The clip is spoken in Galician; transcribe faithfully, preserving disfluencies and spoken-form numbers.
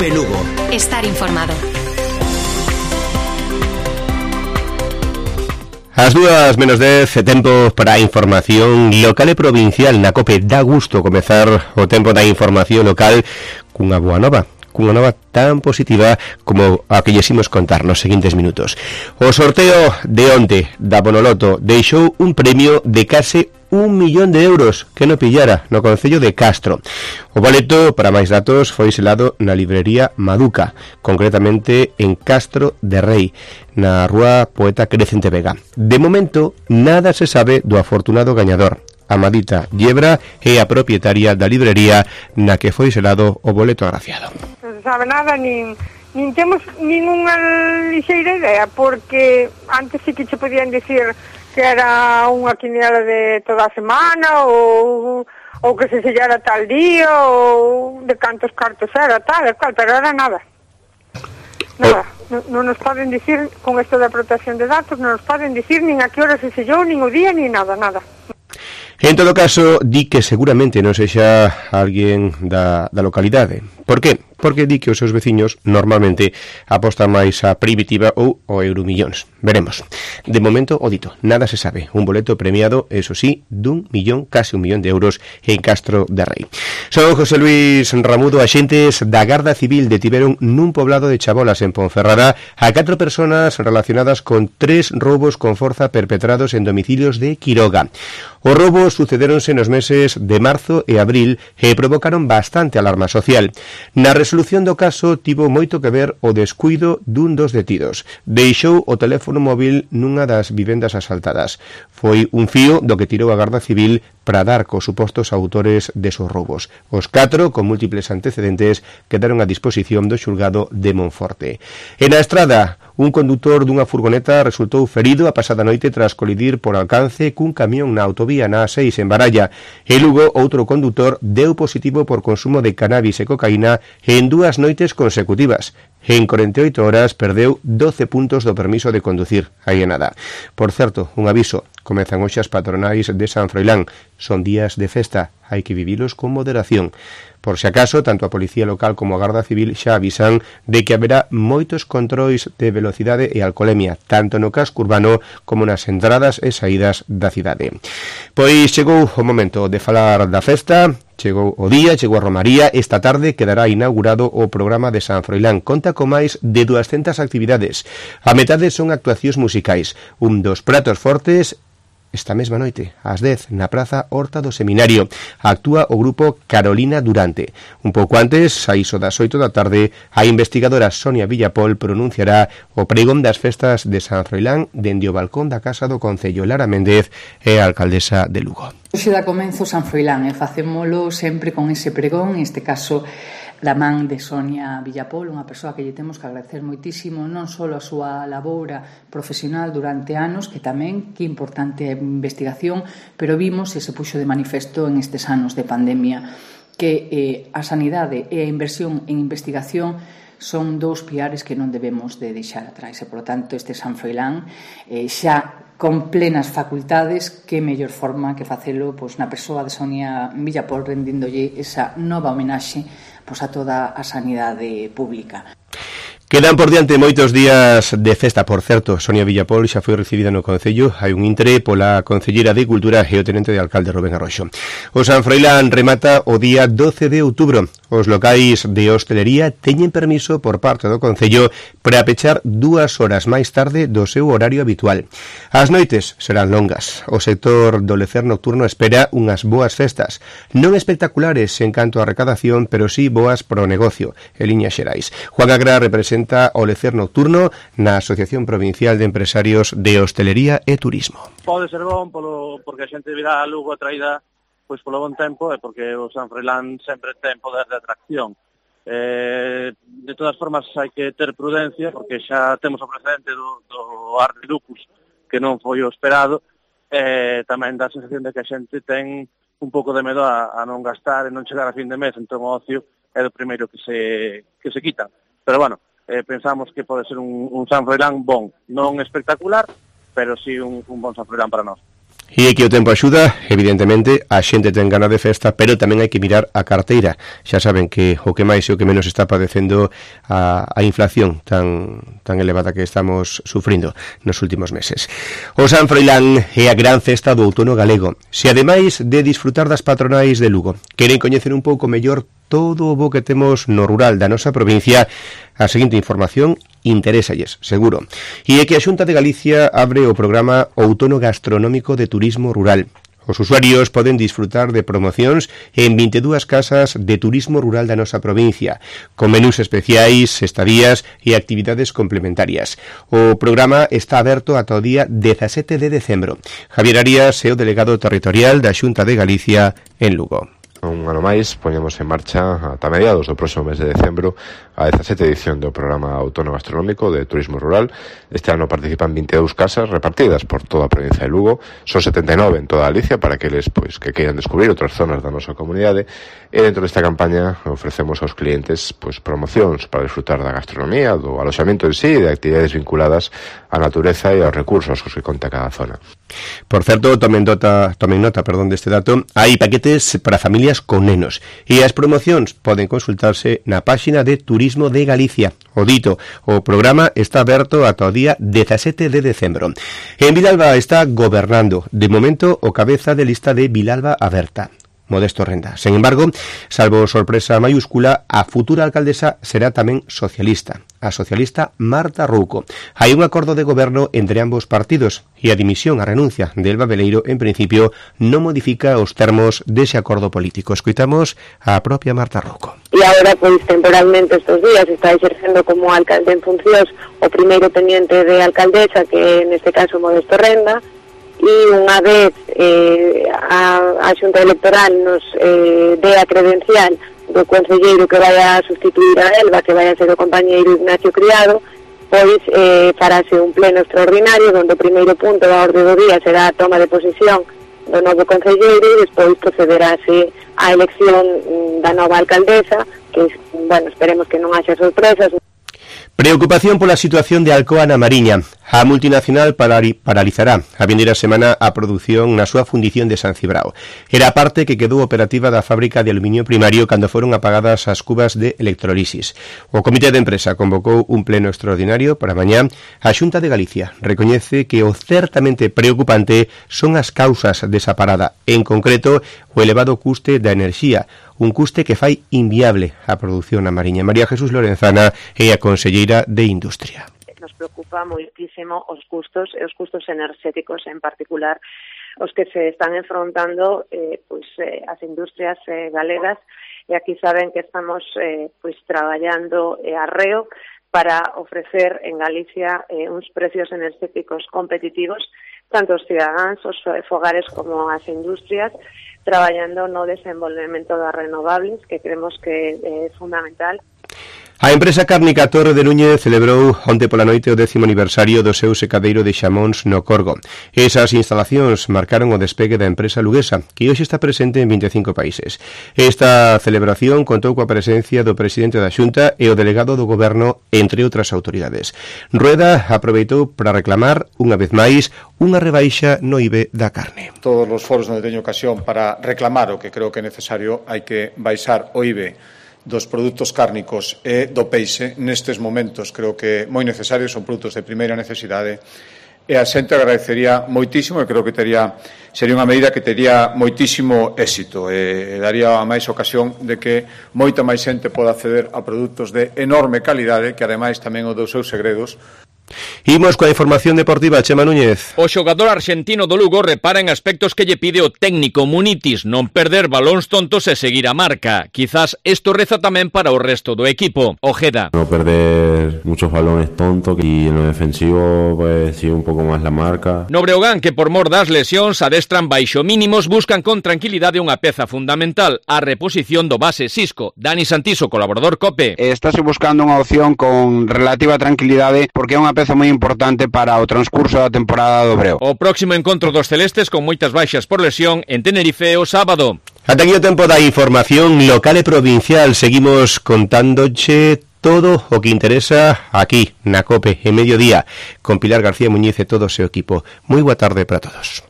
COPE Lugo. Estar informado. As dúas menos dez, tempo para a información local e provincial na COPE. Dá gusto comezar o tempo da información local cunha boa nova, cunha nova tan positiva como a que llesimos contar nos seguintes minutos. O sorteo de onte da Bonoloto deixou un premio de case un millón de euros que no pillara no concello de Castro. O boleto, para máis datos, foi selado na librería Maduca, concretamente en Castro de Rei, na rúa Poeta Crecente Vega. De momento, nada se sabe do afortunado gañador. Amadita Yebra é a propietaria da librería na que foi selado o boleto agraciado. Non se sabe nada, nin, nin temos ninguna lixeira idea, porque antes sí que che podían dicir que era unha quiniela de toda a semana, ou, ou que se sellara tal día, ou de cantos cartos era, tal e cual, pero era nada. Nada, non, non nos poden dicir, con isto da protección de datos, non nos poden dicir nin a que hora se sellou, nin o día, nin nada, nada. En todo caso, di que seguramente non sexa alguén da, da localidade. Por que? Porque di que os seus veciños normalmente apostan máis a Primitiva ou o Euromillóns. Veremos. De momento, o dito, nada se sabe. Un boleto premiado, eso sí, dun millón, case un millón de euros en Castro de Rei. Son José Luis Ramudo. Axentes da Garda Civil detiveron nun poblado de Chabolas, en Ponferrada, a catro personas relacionadas con tres roubos con forza perpetrados en domicilios de Quiroga. Os roubos sucederonse nos meses de marzo e abril e provocaron bastante alarma social. Na resolución do caso tivo moito que ver o descuido dun dos detidos. Deixou o teléfono móvil nunha das vivendas asaltadas. Foi un fío do que tirou a Garda Civil para dar cos supostos autores desos roubos. Os catro, con múltiples antecedentes, quedaron a disposición do xulgado de Monforte. E na estrada, un condutor dunha furgoneta resultou ferido a pasada noite tras colidir por alcance cun camión na autovía na A seis en Baralla. E Lugo, outro condutor deu positivo por consumo de cannabis e cocaína en dúas noites consecutivas. En corenta e oito horas perdeu doce puntos do permiso de conducir. Aí é nada. Por certo, un aviso, comezan hoxe as patronais de San Froilán. Son días de festa, hai que vivilos con moderación. Por se acaso, tanto a Policía Local como a Garda Civil xa avisan de que haberá moitos controis de velocidade e alcolemia, tanto no casco urbano como nas entradas e saídas da cidade. Pois chegou o momento de falar da festa, chegou o día, chegou a Romaría. Esta tarde quedará inaugurado o programa de San Froilán. Conta con máis de duascentas actividades. A metade son actuacións musicais. Un dos pratos fortes esta mesma noite, ás dez, na Praza Horta do Seminario, actúa o grupo Carolina Durante. Un pouco antes, a iso das oito da tarde, a investigadora Sonia Villapol pronunciará o pregón das festas de San Froilán dende o balcón da Casa do Concello. Lara Méndez é a alcaldesa de Lugo. Hoxe dá comenzo San Froilán e facémolo sempre con ese pregón, en este caso da man de Sonia Villapol, unha persoa que lle temos que agradecer moitísimo non só a súa laboura profesional durante anos, que tamén que importante a investigación, pero vimos e se puxo de manifesto en estes anos de pandemia que eh, a sanidade e a inversión en investigación son dous piares que non debemos de deixar atrás e, por tanto, este San Froilán eh, xa con plenas facultades, que mellor forma que facelo pois, na persoa de Sonia Villapol, rendíndolle esa nova homenaxe pois, a toda a sanidade pública. Quedan por diante moitos días de festa. Por certo, Sonia Villapol xa foi recibida no Concello. Hai un intre pola Concellera de Cultura e o Tenente de Alcalde Rubén Arroxo. O San Froilán remata o día doce de outubro. Os locais de hostelería teñen permiso por parte do Concello para pechar dúas horas máis tarde do seu horario habitual. As noites serán longas. O sector do lecer nocturno espera unhas boas festas. Non espectaculares en canto a recadación, pero sí boas pro negocio, en liñas xerais. Juan Agra representa o lecer nocturno na Asociación Provincial de Empresarios de Hostelería e Turismo. Pode ser bon polo, porque a xente virá a Lugo atraída pois polo bon tempo e porque o San Froilán sempre ten poder de atracción. Eh, de todas formas hai que ter prudencia porque xa temos o precedente do, do Art de Lucus que non foi o esperado. Eh, tamén dá a sensación de que a xente ten un pouco de medo a, a non gastar e non chegar a fin de mes, entón o ocio é do primeiro que se, que se quita. Pero bueno, Eh, pensamos que pode ser un, un San Froilán bon, non espectacular, pero sí un, un bon San Froilán para nós. E é que o tempo axuda, evidentemente, a xente ten gana de festa, pero tamén hai que mirar a carteira. Xa saben que o que máis e o que menos está padecendo a, a inflación tan, tan elevada que estamos sufrindo nos últimos meses. O San Froilán é a gran festa do outono galego. Se ademais de disfrutar das patronais de Lugo, queren coñecer un pouco mellor todo o bo que temos no rural da nosa provincia, a seguinte información interésalles, seguro. E é que a Xunta de Galicia abre o programa Outono Gastronómico de Turismo Rural. Os usuarios poden disfrutar de promocións en vinte e dúas casas de turismo rural da nosa provincia, con menús especiais, estadías e actividades complementarias. O programa está aberto ata o día dezasete de decembro. Javier Arias é o delegado territorial da Xunta de Galicia en Lugo. Un ano máis, poñemos en marcha ata mediados do próximo mes de decembro a dezasete edición do programa Outono Gastronómico de Turismo Rural. Este ano participan vinte e dúas casas repartidas por toda a provincia de Lugo. Son setenta e nove en toda Galicia para aqueles pois, que queiran descubrir outras zonas da nosa comunidade. E dentro desta campaña ofrecemos aos clientes pois, promocións para disfrutar da gastronomía, do aloxamento en sí e de actividades vinculadas á natureza e aos recursos cos que conta cada zona. Por certo, tomen nota, tomen nota perdón, deste dato, hai paquetes para familias con nenos e as promocións poden consultarse na páxina de Turismo de Galicia. O dito, o programa está aberto ata o día dezasete de decembro. En Vilalba está gobernando, de momento, o cabeza de lista de Vilalba Aberta, Modesto Renda. Sen embargo, salvo sorpresa mayúscula, a futura alcaldesa será tamén socialista, a socialista Marta Rouco. Hai un acordo de goberno entre ambos partidos e a dimisión, a renuncia de Elba Veleiro, en principio, non modifica os termos dese acordo político. Escoitamos a propia Marta Rouco. E agora, pois, temporalmente estes días está exercendo como alcalde en funcións o primeiro teniente de alcaldesa, que neste caso Modesto Renda, e unha vez eh, a, a Xunta Electoral nos eh, dé a credencial do concelleiro que vai a sustituir a Elba, que vai a ser o compañeiro Ignacio Criado, pois eh, farase un pleno extraordinario onde o primeiro punto da orde do día será a toma de posesión do novo concelleiro e despois procederase a elección da nova alcaldesa, que, bueno, esperemos que non haxa sorpresas. Preocupación pola situación de Alcoa na Mariña. A multinacional paralizará a vindeira semana a produción na súa fundición de San Cibrao. Era a parte que quedou operativa da fábrica de aluminio primario cando foron apagadas as cubas de electrolisis. O Comité de Empresa convocou un pleno extraordinario para mañá. A Xunta de Galicia recoñece que o certamente preocupante son as causas desa parada, en concreto o elevado custe da enerxía, un custe que fai inviable a produción na Mariña. María Jesús Lorenzana é a conselleira de Industria. Nos preocupa moitísimo os custos e os custos enerxéticos, en particular os que se están enfrontando eh, pois, eh, as industrias eh, galegas, e aquí saben que estamos eh, pois, traballando eh, arreo para ofrecer en Galicia eh, uns precios enerxéticos competitivos, tanto os cidadáns, os fogares como as industrias, traballando no desenvolvemento das renovables, que creemos que é fundamental. A empresa cárnica Torre de Núñez celebrou onte pola noite o décimo aniversario do seu secadeiro de xamóns no Corgo. Esas instalacións marcaron o despegue da empresa luguesa, que hoxe está presente en vinte e cinco países. Esta celebración contou coa presencia do presidente da Xunta e o delegado do Goberno, entre outras autoridades. Rueda aproveitou para reclamar, unha vez máis, unha rebaixa no I V E da carne. Todos os foros onde teño ocasión para reclamar o que creo que é necesario, hai que baixar o I V E dos produtos cárnicos e do peixe nestes momentos. Creo que moi necesarios, son produtos de primeira necesidade, e a xente agradecería moitísimo, e creo que tería, sería unha medida que tería moitísimo éxito e, e daría a máis ocasión de que moita máis xente poda acceder a produtos de enorme calidade, que ademais tamén o dos seus segredos. Imos coa información deportiva, Chema Núñez. O xogador arxentino do Lugo repara en aspectos que lle pide o técnico Munitis, non perder balóns tontos e seguir a marca. Quizás isto reza tamén para o resto do equipo. Ojeda. No perder muchos balones tontos y en lo defensivo pues sí un poco más la marca. No Breogán, que por mor das lesións adestran baixo mínimos, buscan con tranquilidade unha peza fundamental, a reposición do base Xisco. Dani Santiso, colaborador COPE. Estáse buscando unha opción con relativa tranquilidade porque é unha peza moi importante para o transcurso da temporada do Breo. O próximo encontro dos celestes con moitas baixas por lesión en Tenerife o sábado. Ata aquí o tempo da información local e provincial. Seguimos contándoche todo o que interesa aquí na COPE en mediodía con Pilar García Muñiz e todo o seu equipo. Moi boa tarde para todos.